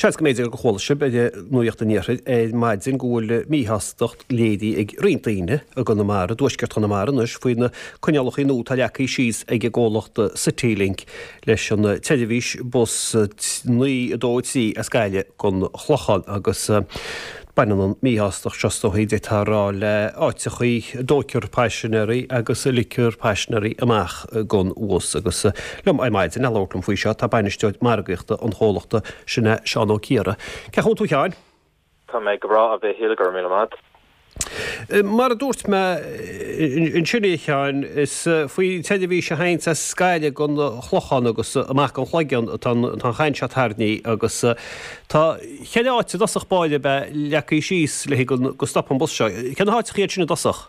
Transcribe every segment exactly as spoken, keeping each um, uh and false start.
Seans go mb'fhéidir gur chuala sibh ar Nuacht an Iarthair ar maidin go bhfuil míshástacht léirithe ag roinnt daoine i gConamara, i dtuaisceart Chonamara anois, faoi na coinníollacha nua atá leagtha síos ag an gcomhlacht Citylink leis an tseirbhís bus naoi a dó a trí as Gaillimh gon Chlochán agus Baineann an mhíshástacht seo is dóichí d'fhéadfá a rá le áiteachaí a dtóigtear paisinéirí agus a ligtear paisinéirí amach gon bhus. Agus liom ar maidin le labhairt liom faoi seo tá bainisteoir margaíochta an chomhlachta, sin é Seán Ó Ciardha. Cén chaoi a bhfuil tú a Sheáin? Tá mé go breá a Mhichíl, go raibh míle maith. Mar a dúirt mé ansin a Sheáin, is faoin tseirbhís a théanns as Gaillimh gon Chlochán agus amach gon Chloigeann atá an chaint seo tarraingthe agus tá ceithre áit i dtosach báire ab ea leagtha síos le haghaidh go stopfaidh an bus seo. Cé na háiteacha iad sin i dtosach?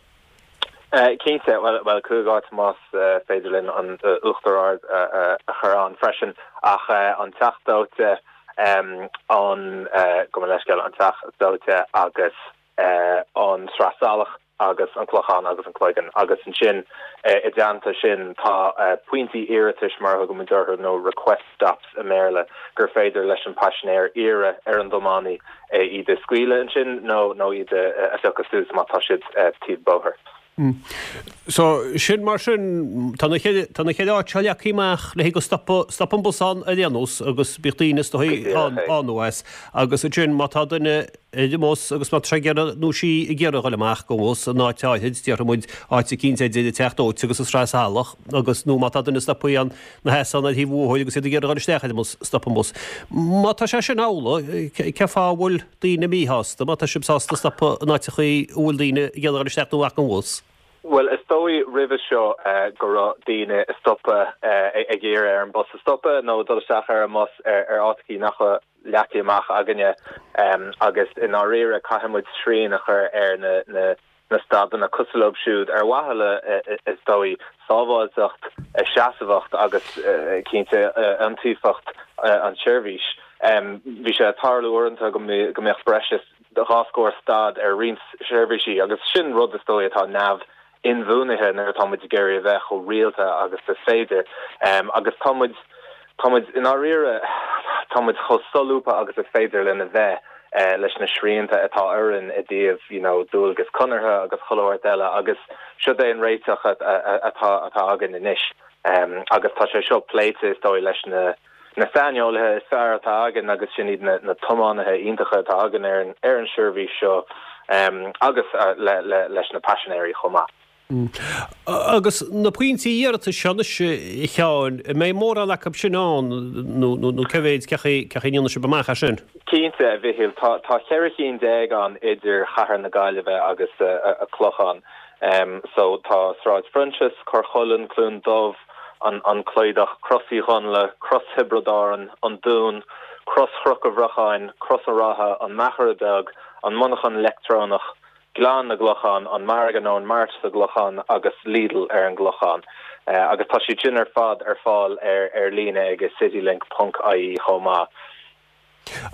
Cinnte, bhuel cúig áit más féidir linn an Uachtar Ard a chur ann freisin ach an Teach Dóite, an, gabh mo leithscéal, an Teach Dóite agus an Sraith Salach agus an Clochán agus an Cloigeann agus ansin i dteannta sin tá pointí iarratais mar a thugaimid orthu nó request stops i mBéarla gur féidir leis an paisinéir iarraidh ar an dtiománaí iad a scaoileadh ansin nó nó iad a phiocadh suas má tá siad taobh bóthair. So sin mar sin tá na ceithre tá na ceithre áit seo leagtha amach le haghaidh go stopfaidh stopfaidh an bus ann ar aon nós agus bíodh daoine is dóigh ann ann nó as agus ansin má tá duine ar an mbus agus má tá sé ag iarraidh nó sí ag iarraidh dhul amach gon bhus in áit áithrid déarfaidh muid áit eicínt idir an Teach Dóite agus an Sraith Salach agus nó má tá duine stoptha ann ina sheasamh ar thaobh an bhóthair agus iad ag iarraidh dhul isteach ar an mbus stopfaidh an bus. Má tá sé sin amhlaidh cén fáth a bhfuil daoine míshásta má tá sibh sásta stopadh in áiteachaí a bhfuil daoine ag iarraidh dhul isteach nó amach gon bhus? Bhuel, is dóigh roimhe seo go raibh daoine ag stopadh, ag iarraidh ar an bus a stopadh nó dul isteach ar an mbus ar áiteachaí nach raibh leagtha amach againne agus i ndáiríre caithfidh muid srian a chur ar na na stadanna cosúil leo siúd ar mhaithe le, is dóigh, sábháilteacht, seasmhacht agus cinnte iontaofacht an tseirbhís. Bhí sé ag tarlú uaireanta go mbeadh breis is dhá scór stad ar roinnt seirbhísí agus sin rud is dóigh atá neamh inbhuanaithe nuair atá muid ag iarraidh a bheith chomh rialta agus is féidir. Agus tá muid, tá muid, i ndáiríre, tá muid chomh solúbtha agus is féidir linn a bheith leis na srianta atá orainn i dtaobh, you know, dualgas conartha agus chuile shórt eile agus seo é an réiteach atá, atá againn anois. Agus tá sé seo pléite is dóigh leis na, na saineolaithe is fearr atá againn agus sin iad na na tiománaithe iontacha atá againn ar an ar an seirbhís seo agus le le leis na paisinéirí chomh maith. Agus na pointí iarratais seo anois, a Sheáin, an mbeidh mórán acu sin ann nó nó cé mhéid, cén chaoi cén chaoi a ndéanfaidh sibh amach é sin? Cinnte, a Mhichíl, tá tá ceithre chinn déag ann idir Chathair na Gaillimhe agus an Clochán. So tá Sráid Phroinsias, Corr Chuilinn, Cluain Dubh, an Clóidheach, Crois Uí Dhonnaile, Crois Thiobraid Árann, An Dún, Crois Chnoc an Bhrocháin, Crois an Rátha, An Machaire Beag, An Monarchan Leictreonach, Gleann na gClochán, An Margadh nó an Mart sa gClochán agus Lidl ar an gClochán. Agus tá siad sin ar fad ar fáil ar líne ag citylink ponc ie chomh maith.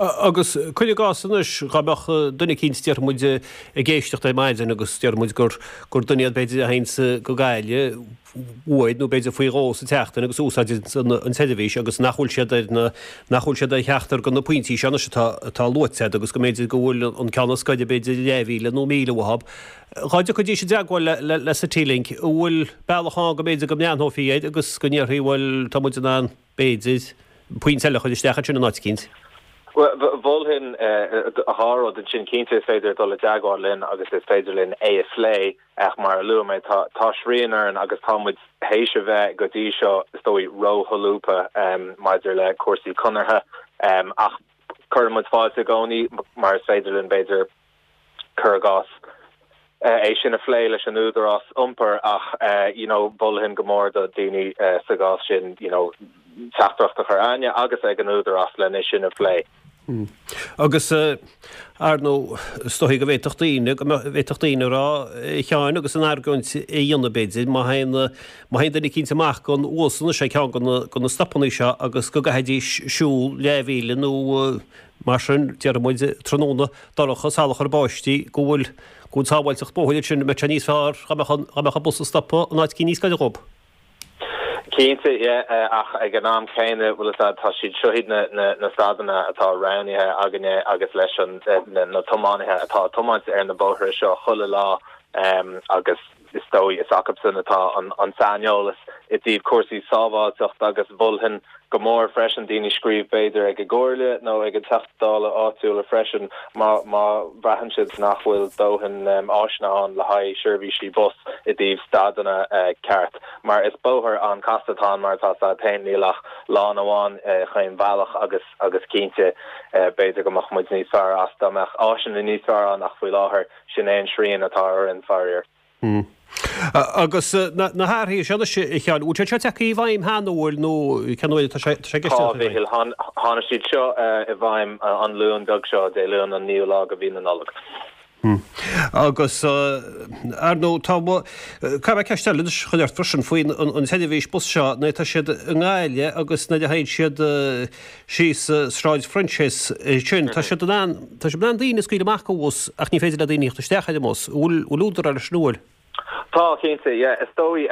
Agus cuir i gcás anois, dhá mbeadh duine eicínt, déarfaidh muid, ag éisteacht ar maidin agus déarfaidh muid gur gur duine iad b'fhéidir a théanns go Gaillimh uair nó b'fhéidir faoi dhó sa tseachtain agus a úsáideann an tseirbhís agus nach bhfuil siad ar na, nach bhfuil siad ar cheachtar de na pointí seo anois atá atá luaite agat agus go mb'fhéidir go bhfuil an ceann is gaire b'fhéidir leathmhíle nó míle uathu. Dhá dtiocfaidís i dteagmháil le le le Citylink, an bhfuil bealach ann go mb'fhéidir go mbreathnófaí air agus go ndéarfaí bhuel tá muid in ann b'fhéidir, pointe eile a chur isteach ansin in áit eicínt. Bhuel, mholfainn dhá rud ansin. Cinnte, is féidir dul i dteagmháil linn agus is féidir linn é a phlé, ach mar a luaigh mé, tá tá srian orainn agus tá muid théis a bheith go dtí seo, is dóigh, rósholúbtha maidir le cúrsaí conartha. Ach cuireann muid fáilte i gcónaí mar is féidir linn, b'fhéidir, cuir i gcás, é sin a phlé leis an údarás iompair ach you know mholfainn go mór do daoine sa gcás sin you know teachtaireacht a chur againne agus ag an údarás len é sin a phlé. Agus ar ndóigh is dóichí go bhféadfadh daoine, go bhféadfadh daoine a rá, a Sheáin, agus an argóint a dhéanamh b'fhéidir, má théann, má théann duine eicínt amach gon bhus anois ag ceann de na stopannaí seo agus go gcaithfidís siúl leathmhíle nó Mar sin, déarfaidh muid, tráthnóna dorcha, salach ar báistí, go bhfuil, go bhfuil sábháilteacht bóthair ansin, an mbeadh sé níos fearr dá mbeadh an, dá mbeadh an bus ag stopadh in áit eicínt níos gaire dhób. Cinnte, yeah, ach ag an am céanna, bhfuil fhios a'd, tá siad seo iad na, na, na stadanna atá roghnaithe againne agus leis an, na, na tiománaithe atá ag tiomáint ar na bóithre seo chuile lá agus is dóigh is acusan atá an, an saineolas i dtaobh cúrsaí sábháilteachta agus mholfainn go mór freisin daoine scríobh b'fhéidir ag an gComhairle nó ag an Teachta Dála áitiúla freisin má má bhraitheann siad nach bhfuil dóthain áiseanna ann le haghaidh seirbhísí bus i dtaobh stadanna ceart mar is bóthar an-chasta atá ann mar atá fhios a'd féin níl ach lána amháin chaon bhealach agus agus cinnte b'fhéidir go mbeadh muid níos fearr as dá mbeadh áiseanna níos fearr ann ach faoi láthair sin é an srian atá orainn faraor. Agus na hathruithe seo anois, a Sheáin, bhfuil siad seo tagtha i bhfeidhm cheana, bhfuil, nó cén uair atá sé i gceist Tá, a Mhichíl, tháinig siad seo i bhfeidhm an Luan beag seo, Dé Luain an naoú lá de mhí na Nollag. Agus ar ndóigh, tá, caithfidh mé ceist eile anois a chur ort freisin faoin an tseirbhís bus seo, nuair atá siad i nGaillimh agus nuair a théann siad síos Sráid Phroinséas ansin, tá siad in ann, tá siad in ann daoine a scaoileadh amach den bhus ach ní féidir le daoine theacht isteach ar an mbus. Bhfuil, bhfuil údar leis nó an bhfuil? Tá, cinnte, yeah. Is dóigh,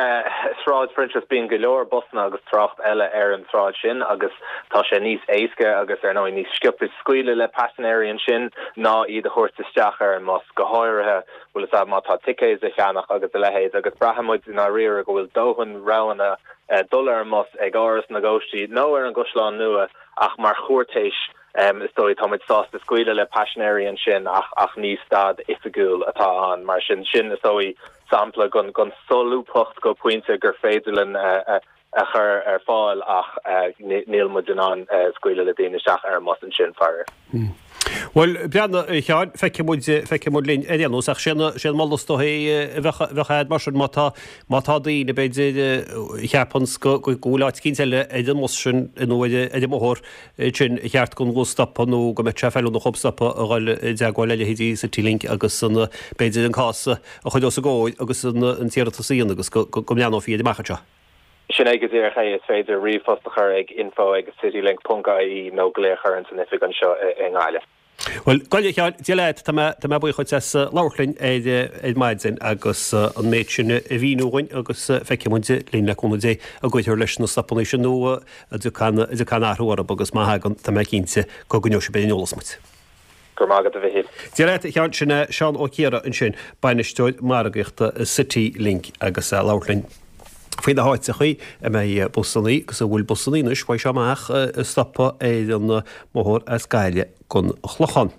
Sráid Phroinséas, bíonn go leor busanna agus trácht eile ar an tsráid sin agus tá sé níos éasca agus ar ndóigh níos sciobtha scaoileadh le paisinéirí ansin ná iad a thabhairt isteach ar an mbus, go háirithe, bhfuil fhios a'd, má tá ticéid a cheannach agus a leithéid agus braitheann muid i ndáiríre go bhfuil dóthain roghanna dul ar an mbus ag Áras na gCóistí nó ar an gCaisleán Nua ach mar chúirtéis Is dóigh, tá muid sásta scaoileadh le paisinéirí ansin ach ach ní stad oifigiúil atá ann. Mar sin, sin is dóigh sampla den den solúbthacht go pointe gur féidir linn a a chur ar fáil ach níl muid in ann scaoileadh le daoine isteach ar an mbus ansin, faraor. Bhuel, breathnaigh, a Sheáin, feicfidh muid, feicfidh muid linn ar aon nós, ach sé an, sé an moladh is dóichí a bheadh, bheadh a'd mar sin má tá, má tá daoine, b'fhéidir, a cheapanns go, go bhfuil áit eicínt eile ar an mbus sin nó ar, ar an mbóthar sin ar cheart don bhus stopadh nó go mbeadh sé feiliúnach dhób stopadh a dhul i dteagmháil le leithéidí Citylink agus an, b'fhéidir an cás a chur os a gcomhair agus an, an t-iarratas a dhéanamh agus go, go, go mbreathnófaí air amach anseo. Sin é go díreach é, is féidir ríomhphost a chur ag info ag citylink ponc ie nó glaoch orainn san oifig anseo i nGaillimh. Bhuel, gabh i leith, a Sheáin, Dia leat, tá mé, tá mé buíoch dhuit as labhairt linn ar, ar maidin agus an méid sin a mhíniú dhúinn agus feicfidh muid linn le cúnamh Dé an gcuirfear leis na stopanna sin nó an dtiocfaidh an, an dtiocfaidh aon athrú orthu agus má thagann, tá mé cinnte go gcoinneoidh sibh ar an eolas muid. Go raibh maith agat a Mhichíl. Dia leat, a Sheáin, sin é Seán Ó Ciardha ansin, Bainisteoir Margaíochta Citylink agus é ag labhairt linn faoi na háiteachaí a mbeidh busannaí agus a bhfuil busannaí anois uaidh seo amach ag stopadh ar an mbóthar as Gaillimh gon Chlochán.